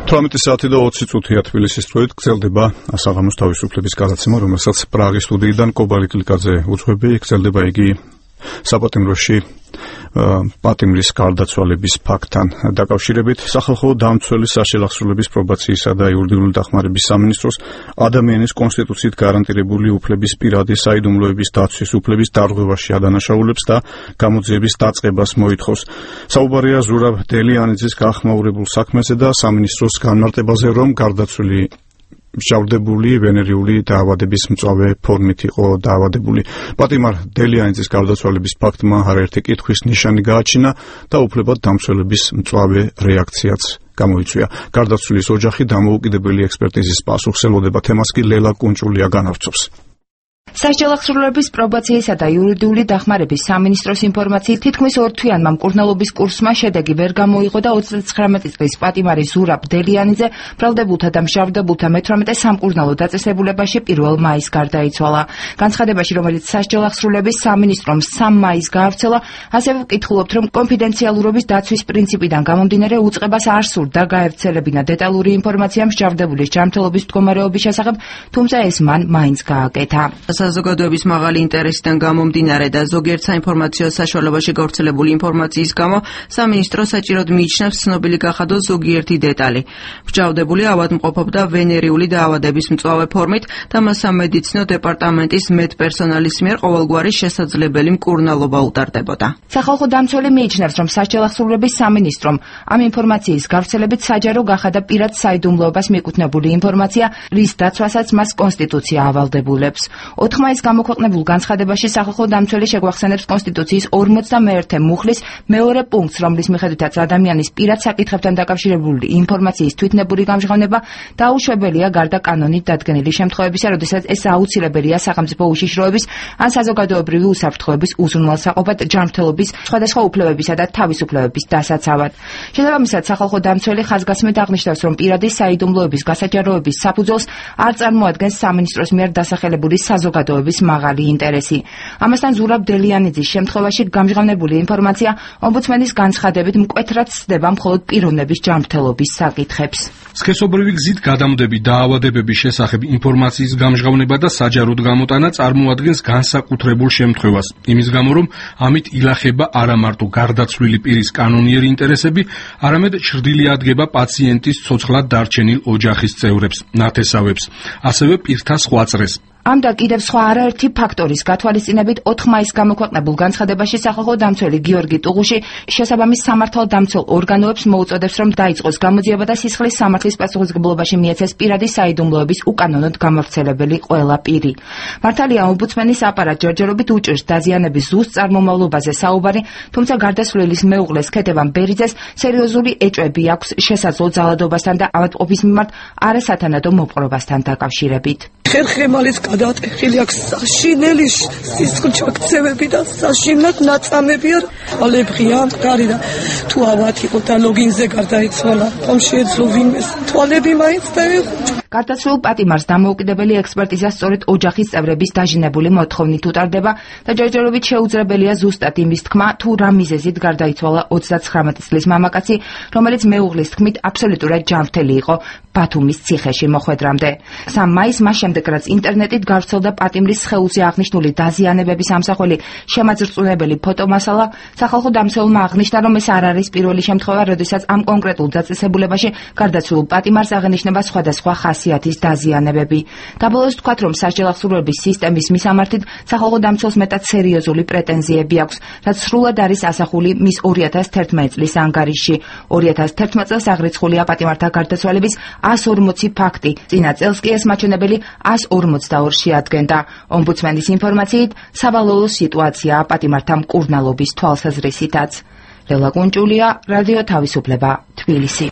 18 საათი და 20 წუთია თბილისის დროით გრძელდება ასაღამოს თავისუფლების გადაცემა, რომელსაც პრაღის სტუდიიდან კობალი კლიკაძე უძღვები. გრძელდება იგი საპატიმროში პატიმრის გარდაცვალების ფაქტთან დაკავშირებით. სახალხო დამცველის საშელახსრულების პრობაციისა და იურიდიული დახმარების სამინისტროს ადამიანის კონსტიტუციით გარანტირებული უფლების პირადი საიდუმლოების დაცვის უფლების დარღვევაში ადანაშაულებს და გამოძიების დაწყებას მოითხოვს. საუბარია ზურაბ დელიანიძის გახმაურებულ საქმეზე და სამინისტროს განმარტებაზე, რომ გარდაცვლილი მჟავდებული ვენერიული დაავადების მწვავე ფორმით იყო დაავადებული. პატიმარ დელიანიძის გარდაცვალების ფაქტმა არაერთი კითხვის ნიშანი გააჩინა და უფლებად დამცველების მწვავე რეაქციაც გამოიწვია. გარდაცვლილის ოჯახი დამოუკიდებელი ექსპერტიზის პასუხს ელოდება. თემას კი ლელა კუნჭულია განავრცობს. საშელახსრულების პრობაციისა და იურიდიული დახმარების სამინისტროს ინფორმაციით თითქმის 2 თვიანმა მკურნალობის კურსმა შედეგი ვერ გამოიღო და 39 წლის პატიმარი ზურაბ დელიანიძე ბრალდებულთა და მჟავდებულთა მე-18 სამკურნალო დაწესებულებაში 1 მაისს გარდაიცვალა. განცხადებაში, რომელიც საშელახსრულების სამინისტრომ 3 მაისს გაავრცელა, ასევე ვკითხულობთ, რომ კონფიდენციალურობის დაცვის პრინციპიდან გამომდინარე უწყებას არ სურდა გაევრცელებინა დეტალური ინფორმაცია მჟავდებულის ჯანმრთელობის მდგომარეობის შესახებ, თუმცა ეს მან მაინც გააკეთა. საზოგადოების მაღალი ინტერესიდან გამომდინარე და ზოგიერთ საინფორმაციო საშუალებაში გავრცელებული ინფორმაციის გამო სამინისტრო საჭიროდ მიიჩნევს ცნობილი გახადოს ზოგიერთი დეტალი. მჟავდებული ავადმყოფობდა ვენერიული დაავადების მწვავე ფორმით და მას სამედიცინო დეპარტამენტის მედპერსონალის მიერ ყოველგვარი შესაძლებელი მკურნალობა უტარდებოდა. სახალხო დამცველი მიიჩნევს, რომ საშელახსრულების სამინისტრომ ამ ინფორმაციის გავრცელებით საჯარო გახადა პირად საიდუმლოებას მიკუთვნებული ინფორმაცია, რის დაცვასაც მას კონსტიტუცია ავალდებულებს. 4 მაისს გამოქვეყნებულ განცხადებაში სახალხო დამცველი შეგვახსენებს კონსტიტუციის 41 მუხლის მეორე პუნქტს, რომლის მიხედვითაც ადამიანის პირად საკითხებთან დაკავშირებული ინფორმაციის თვითნებური გამჟღავნება დაუშვებელია გარდა კანონით დადგენილი შემთხვევებისა, როდესაც ეს აუცილებელია სახელმწიფო უშიშროების ან საზოგადოებრივი უსაფრთხოების უზრუნველსაყოფად, ჯანმრთელობის, სხვადასხვა უფლებებისა და თავისუფლებების დასაცავად. შესაბამისად, სახალხო დამცველი ხაზგასმით აღნიშნავს, რომ პირადი საიდუმლოების გასაჯაროების საფუძველს არ წარმოადგენს სამინისტროს მიერ დასახელებული საზოგადოების მაღალი ინტერესი. ამასთან ზურაბ დელიანიძის შემთხვევაში გამჟღავნებული ინფორმაცია ომბუდსმენის განცხადებით მკვეთრად ცდება მხოლოდ პიროვნების ჯანმრთელობის საკითხებს. სქესობრივი გზით გადამდები დაავადებების შესახებ ინფორმაციის გამჟღავნება და საჯაროდ გამოტანა წარმოადგენს განსაკუთრებულ შემთხვევას. იმის გამო, რომ ამით ილახება არა მარტო გარდაცვლილი პირის კანონიერი ინტერესები, არამედ ჩრდილი ადგება პაციენტის ცოცხლად დარჩენილ ოჯახის წევრებს, ნათესავებს, ასევე პირთა სხვა წრეს. ამ და კიდევ სხვა არაერთი ფაქტორის გათვალისწინებით 4 მაისს გამოქვეყნებულ განცხადებაში სახალხო დამცველი გიორგი ტუღუში შესაბამის სამართალდამცველ ორგანოებს მოუწოდებს, რომ დაიწყოს გამოძიება და სისხლის სამართლის პასუხისმგებლობაში მიეცეს პირადი საიდუმლოების უკანონოდ გამავრცელებელი ყველა პირი. მართალია, ომბუდსმენის აპარატ ჯერჯერობით უჭირს დაზიანების ზუსტ წარმომავლობაზე საუბარი, თუმცა გარდაცვლილის მეუღლეს ქეთევან ბერიძეს სერიოზული ეჭვები აქვს შესაძლო ძალადობასთან და ავადმყოფის მიმართ არასათანადო მოპყრობასთან დაკავშირებით. ხერხემალის გადატეხილი აქვს საშინელი სისხლჩაქცევები და საშინლად ნაწამები არ ალებღია მყარი და თუ ავად იყო და ლოგინზე გარდაიცვალა რომ შეეძლო ვინმეს თვალები მაინც დაეხვიჭა. გარდაცვლილ პატიმარს დამოუკიდებელი ექსპერტიზა სწორედ ოჯახის წევრების დაჟინებული მოთხოვნით უტარდება და ჯერჯერობით შეუძლებელია ზუსტად იმის თქმა, თუ რა მიზეზით გარდაიცვალა 39 წლის მამაკაცი, რომელიც მეუღლის თქმით აბსოლუტურად ჯანმრთელი იყო ბათუმის ციხეში მოხვედრამდე. 3 მაისს მას შემდეგ, რაც ინტერნეტით გავრცელდა პატიმრის სხეულზე აღნიშნული დაზიანებების ამსახველი შემაძრწუნებელი ფოტომასალა, სახალხო დამცველმა აღნიშნა, რომ ეს არ არის პირველი შემთხვევა, როდესაც ამ კონკრეტულ დაწესებულებაში გარდაცვლილ პატიმარს აღენიშნება სხვადასხვა ხასიათის დაზიანებები. დაბოლოს თქვათ, რომ საშელახსრულების სისტემის მისამართით სახალხო დამცველს მეტად სერიოზული პრეტენზიები აქვს, რაც სრულად არის ასახული მის 2011 წლის ანგარიშში. 2011 წელს აღრიცხულია პატიმართა გარდაცვალების 140 ფაქტი. წინა წელს კი ეს მაჩვენებელი 142 შეადგენდა. ომბუდსმენის ინფორმაციით, სავალალო სიტუაციაა პატიმართა მკურნალობის თვალსაზრისითაც. ლელა კუნჭულია, რადიო თავისუფლება, თბილისი.